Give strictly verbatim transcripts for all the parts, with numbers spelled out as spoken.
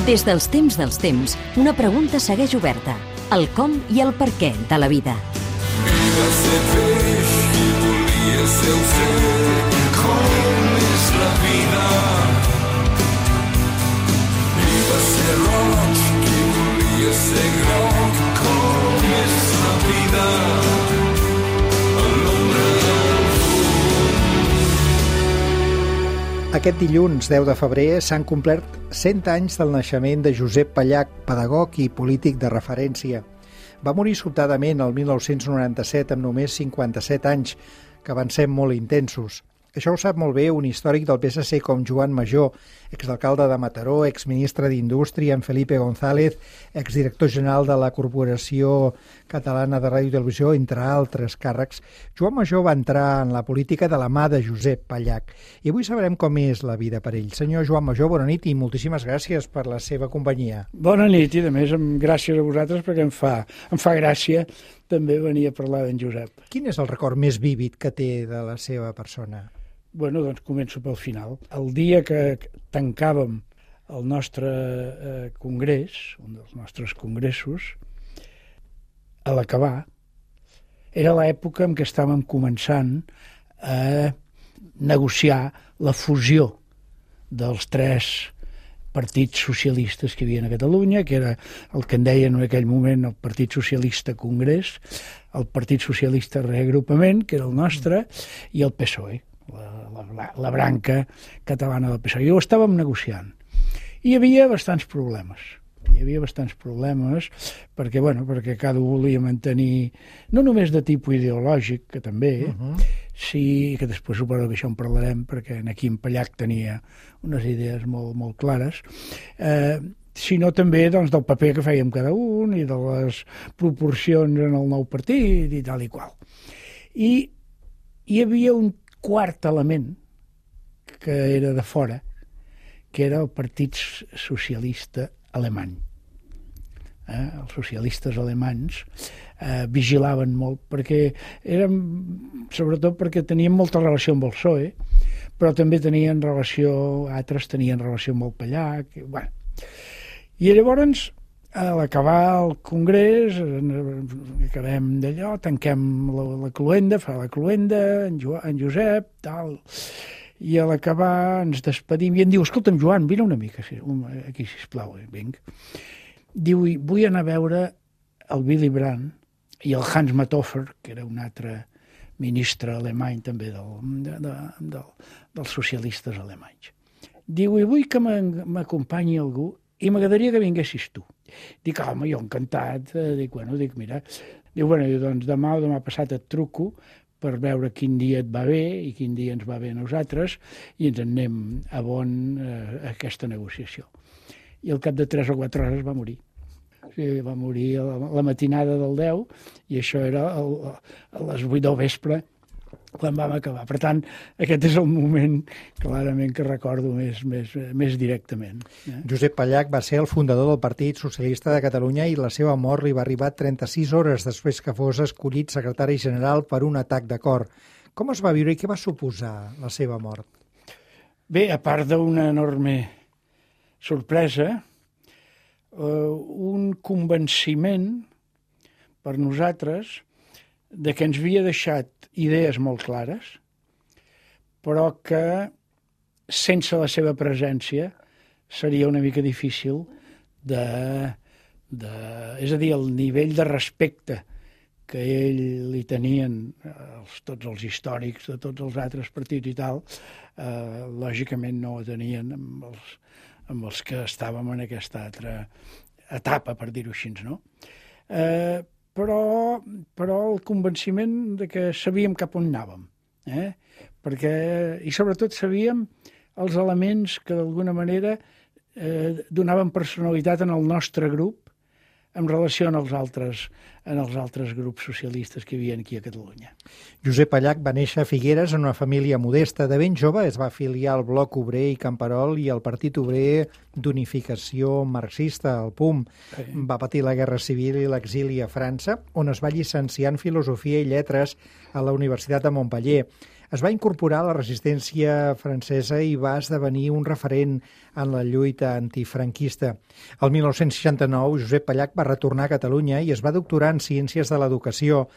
Des dels temps dels temps, una pregunta segueix oberta. El com i el per què de la vida. I va ser peix qui volia ser oceà, com és la vida. I va ser roig qui volia ser groc, com és la vida. Aquest dilluns, deu de febrer, s'han complert cent anys del naixement de Josep Pallach, pedagog i polític de referència. Va morir sobtadament el mil nou-cents noranta-set amb només cinquanta-set anys, que van ser molt intensos. Això ho sap molt bé un històric del P S C com Joan Majó, exalcalde de Mataró, exministre d'Indústria, en Felipe González, exdirector general de la Corporació Catalana de Ràdio i Televisió, entre altres càrrecs. Joan Majó va entrar en la política de la mà de Josep Pallach. I avui sabrem com és la vida per ell. Senyor Joan Majó, bona nit i moltíssimes gràcies per la seva companyia. Bona nit i, a més, gràcies a vosaltres perquè em fa, em fa gràcia també venir a parlar d'en Josep. Quin és el record més vívid que té de la seva persona? Bueno, doncs començo pel final. El dia que tancàvem el nostre eh, congrés, un dels nostres congressos, a l'acabar, era l'època en què estàvem començant a negociar la fusió dels tres partits socialistes que hi havia a Catalunya, que era el que en deien en aquell moment el Partit Socialista Congrés, el Partit Socialista Reagrupament, que era el nostre, i el P S O E. La, la, la branca catalana del P S O E. I ho estàvem negociant. I hi havia bastants problemes. Hi havia bastants problemes perquè, bueno, perquè cada un volia mantenir, no només de tipus ideològic, que també, uh-huh. sí, que després suposo que això en parlarem, perquè aquí en Pallach tenia unes idees molt, molt clares, eh, sinó també doncs, del paper que fèiem cada un i de les proporcions en el nou partit i tal i qual. I hi havia un quart element que era de fora, que era el Partit Socialista Alemany. Eh? Els socialistes alemanys eh, vigilaven molt, perquè eren, sobretot perquè tenien molta relació amb el P S O E, però també tenien relació, altres tenien relació amb el Pallach, i, bueno. I llavors, a l'acabar el congrés, acabem d'allò, tanquem la, la cluenda, fa la cluenda, en, jo, en Josep, tal, i a l'acabar ens despedim i em diu, escolta'm, Joan, vine una mica aquí, sisplau, vinc. Diu, vull anar a veure el Willy Brandt i el Hans Matoffer, que era un altre ministre alemany també del, de, de, de, dels socialistes alemanys. Diu, i vull que m'acompanyi algú i m'agradaria que vinguessis tu. Dic, home, jo encantat. Dic, bueno, dic, mira. Diu, bueno, doncs demà o demà passat et truco per veure quin dia et va bé i quin dia ens va bé a nosaltres i ens en anem a bon eh, aquesta negociació. I al cap de tres o quatre hores va morir. O sigui, va morir a la, la matinada del deu i això era el, a les vuit del vespre quan vam acabar. Per tant, aquest és el moment clarament que recordo més, més, més directament. Eh? Josep Pallach va ser el fundador del Partit Socialista de Catalunya i la seva mort li va arribar trenta-sis hores després que fos escollit secretari general per un atac de cor. Com es va viure i què va suposar la seva mort? Bé, a part d'una enorme sorpresa, eh, un convenciment per nosaltres de que ens havia deixat idees molt clares, però que sense la seva presència seria una mica difícil de... de és a dir, el nivell de respecte que ell li tenien els, tots els històrics de tots els altres partits i tal, eh, lògicament no ho tenien amb els, amb els que estàvem en aquesta altra etapa, per dir-ho així, no? Eh, Però, però el convenciment de que sabíem cap on anàvem, eh? Perquè, i sobretot sabíem els elements que d'alguna manera eh, donaven personalitat en el nostre grup en relació amb els altres, en els altres grups socialistes que hi havia aquí a Catalunya. Josep Pallach va néixer a Figueres en una família modesta. De ben jove es va afiliar al Bloc Obrer i Camperol i al Partit Obrer d'Unificació Marxista, el P U M. Sí. Va patir la Guerra Civil i l'exili a França, on es va llicenciar en Filosofia i Lletres a la Universitat de Montpeller. Es va incorporar a la resistència francesa i va esdevenir un referent en la lluita antifranquista. El mil nou-cents seixanta-nou, Josep Pallach va retornar a Catalunya i es va doctorar en Ciències de l'Educació.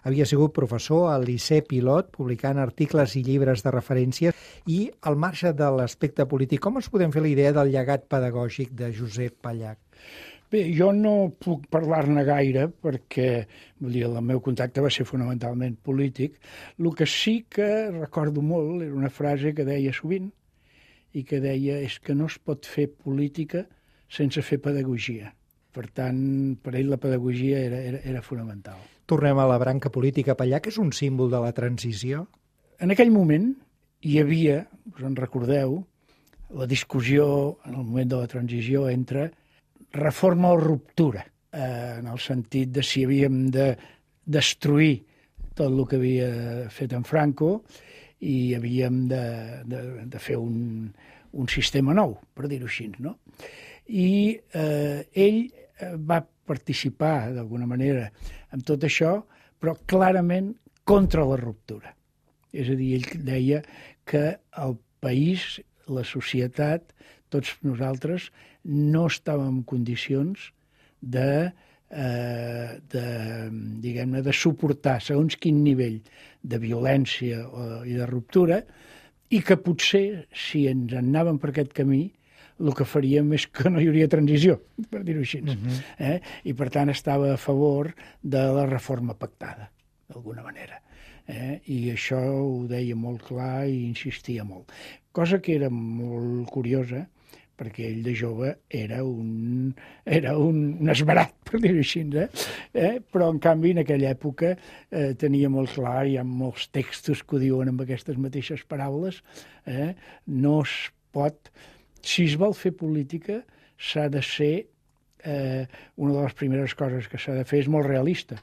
Havia sigut professor al Liceu Pilot, publicant articles i llibres de referència, i al marge de l'aspecte polític, com ens podem fer la idea del llegat pedagògic de Josep Pallach? Bé, jo no puc parlar-ne gaire perquè vull dir, el meu contacte va ser fonamentalment polític. El que sí que recordo molt era una frase que deia sovint i que deia és que no es pot fer política sense fer pedagogia. Per tant, per ell la pedagogia era, era, era fonamental. Tornem a la branca política. Pallach és un símbol de la transició? En aquell moment hi havia, us en recordeu, la discussió en el moment de la transició entre reforma o ruptura, eh, en el sentit de si havíem de destruir tot el que havia fet en Franco i havíem de, de, de fer un, un sistema nou, per dir-ho així, no? I eh, ell va participar d'alguna manera en tot això, però clarament contra la ruptura. És a dir, ell deia que el país, la societat, tots nosaltres no estàvem en condicions de, eh, de, diguem-ne, de suportar segons quin nivell de violència o, i de ruptura, i que potser, si ens anàvem per aquest camí, el que faríem és que no hi hauria transició, per dir-ho així. Uh-huh. eh? I, per tant, estava a favor de la reforma pactada, d'alguna manera. Eh? I això ho deia molt clar i insistia molt. Cosa que era molt curiosa, perquè ell de jove era un, era un, un esverat, per dir-ho així, eh? Eh? Però en canvi en aquella època eh, tenia molt clar, hi ha molts textos que ho diuen amb aquestes mateixes paraules, eh? No es pot, si es vol fer política s'ha de ser, eh, una de les primeres coses que s'ha de fer és molt realista.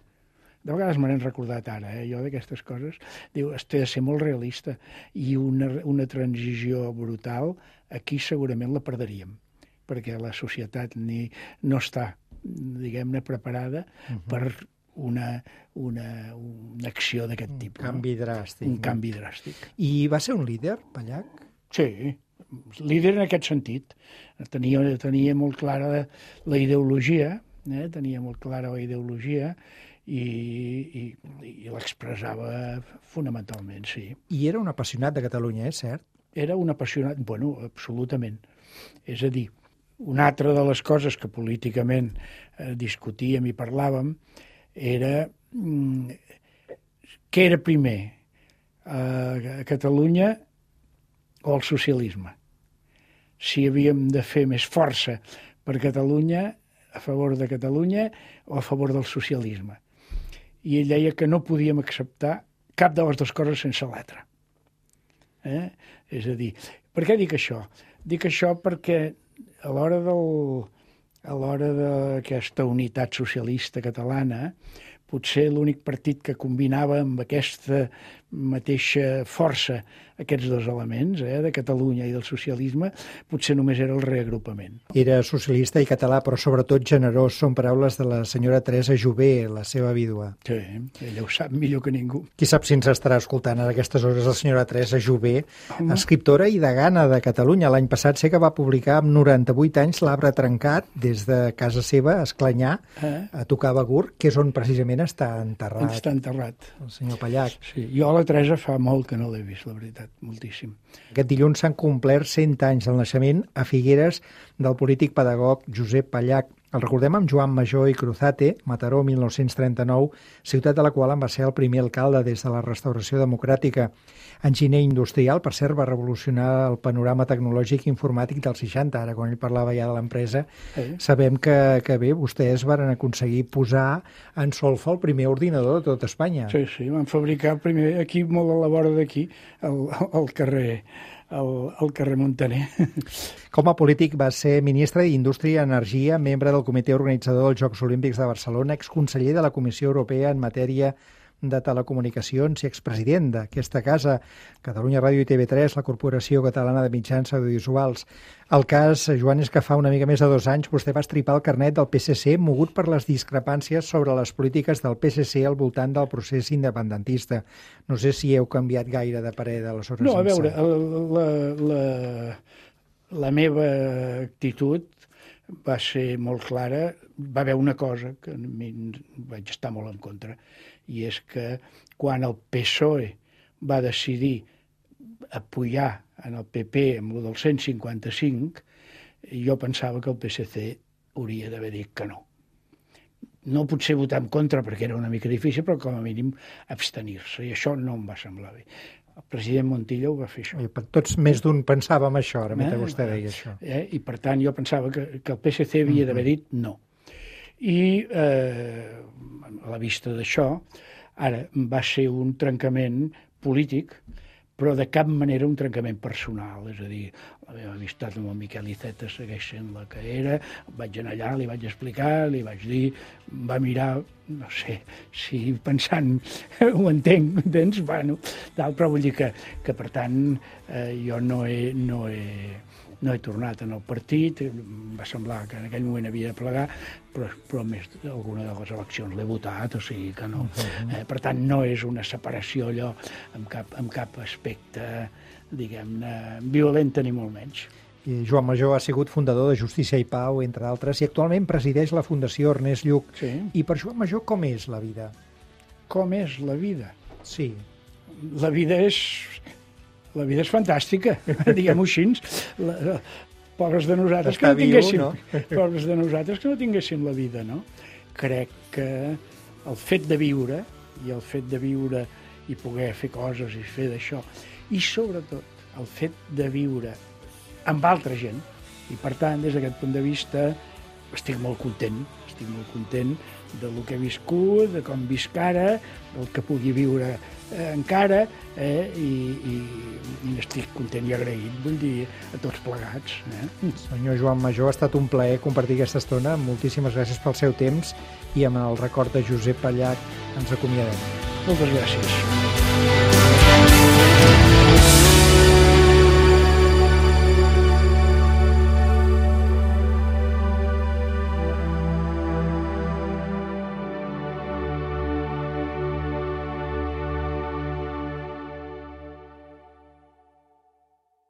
De vegades me n'he recordat ara, eh, jo d'aquestes coses. Diu, es té de ser molt realista i una, una transició brutal, aquí segurament la perderíem, perquè la societat ni, no està, diguem-ne, preparada uh-huh. per una, una, una acció d'aquest tipus. Un canvi no? dràstic. Un no? canvi dràstic. I va ser un líder, Pallach? Sí, líder en aquest sentit. Tenia, tenia molt clara la ideologia, eh? tenia molt clara la ideologia, i, i, i l'expressava fonamentalment, sí. I era un apassionat de Catalunya, és cert? Era un apassionat, bueno, absolutament. És a dir, una altra de les coses que políticament eh, discutíem i parlàvem era mm, què era primer, eh, Catalunya o el socialisme. Si havíem de fer més força per Catalunya, a favor de Catalunya o a favor del socialisme. I ell deia que no podíem acceptar cap de les dues coses sense l'altra. Eh? És a dir, per què dic això? Dic això perquè a l'hora del, a l'hora d'aquesta unitat socialista catalana, potser l'únic partit que combinava amb aquesta mateixa força aquests dos elements, eh, de Catalunya i del socialisme, potser només era el reagrupament. Era socialista i català, però sobretot generós. Són paraules de la senyora Teresa Jové, la seva vídua. Sí, ella ho sap millor que ningú. Qui sap si ens estarà escoltant a aquestes hores la senyora Teresa Jové, Home. escriptora i degana de Catalunya. L'any passat sé que va publicar amb noranta-vuit anys L'Arbre trencat, des de casa seva, a Esclanyà, eh? a tocar Begur, que és on precisament està enterrat. Està enterrat. El senyor Pallach. Sí, jo a la Teresa fa molt que no l'he vist, la veritat, moltíssim. Aquest dilluns s'han complert cent anys del naixement a Figueres del polític pedagog Josep Pallach. El recordem amb Joan Major i Cruzate, Mataró, mil nou-cents trenta-nou, ciutat de la qual en va ser el primer alcalde des de la restauració democràtica. Enginyer industrial, per cert, va revolucionar el panorama tecnològic i informàtic dels seixanta, ara quan ell parlava ja de l'empresa. Sí. Sabem que, que bé, vostès van aconseguir posar en solfa el primer ordinador de tot Espanya. Sí, sí, van fabricar primer aquí, molt a la vora d'aquí, al, al carrer al, al carrer Montaner. Com a polític va ser ministre d'Indústria i Energia, membre del comitè organitzador dels Jocs Olímpics de Barcelona, exconseller de la Comissió Europea en matèria de Telecomunicacions i expresident d'aquesta casa, Catalunya Ràdio i T V tres, la Corporació Catalana de Mitjans Audiovisuals. El cas, Joan, és que fa una mica més de dos anys vostè va estripar el carnet del P S C mogut per les discrepàncies sobre les polítiques del P S C al voltant del procés independentista. No sé si heu canviat gaire de parer d'aleshores. No, a veure, la, la, la meva actitud va ser molt clara. Va haver una cosa que a mi vaig estar molt en contra, i és que quan el P S O E va decidir apoyar en el P P amb el del cent cinquanta-cinc, jo pensava que el P S C hauria d'haver dit que no. No potser votar en contra perquè era una mica difícil, però com a mínim abstenir-se, i això no em va semblar bé. El president Montilla ho va fer això. I tots més d'un pensàvem això, ara mentre eh? vostè deia això. Eh? I per tant jo pensava que, que el P S C havia d'haver dit no. I eh, a la vista d'això, ara va ser un trencament polític, però de cap manera un trencament personal. És a dir, la meva amistat amb el Miquel Iceta segueix sent la que era, vaig anar allà, li vaig explicar, li vaig dir, va mirar, no sé, si pensant ho entenc, entens? Bueno, tal, però vull dir que, que per tant, eh, jo no he, no he, no he tornat en el partit, em va semblar que en aquell moment havia de plegar, però, però més alguna de les eleccions l'he votat, o sigui que no. Eh, per tant, no és una separació allò amb cap, amb cap aspecte, diguem-ne, violenta ni molt menys. I Joan Majó ha sigut fundador de Justícia i Pau, entre altres, i actualment presideix la Fundació Ernest Lluch. Sí. I per Joan Majó, com és la vida? Com és la vida? Sí. La vida és... La vida és fantàstica, diguem-ho així. La, la, pobres de nosaltres que no tinguéssim, viu, no? pobres de nosaltres que no tinguéssim la vida, no? Crec que el fet de viure, i el fet de viure i poder fer coses i fer d'això, i sobretot el fet de viure amb altra gent, i per tant, des d'aquest punt de vista, estic molt content, estic molt content del que he viscut, de com visc ara, del que pugui viure eh, encara, eh, i, i, i estic content i agraït, vull dir, a tots plegats. Eh? Senyor Joan Majó, ha estat un plaer compartir aquesta estona. Moltíssimes gràcies pel seu temps, i amb el record de Josep Pallach ens acomiadem. Moltes gràcies.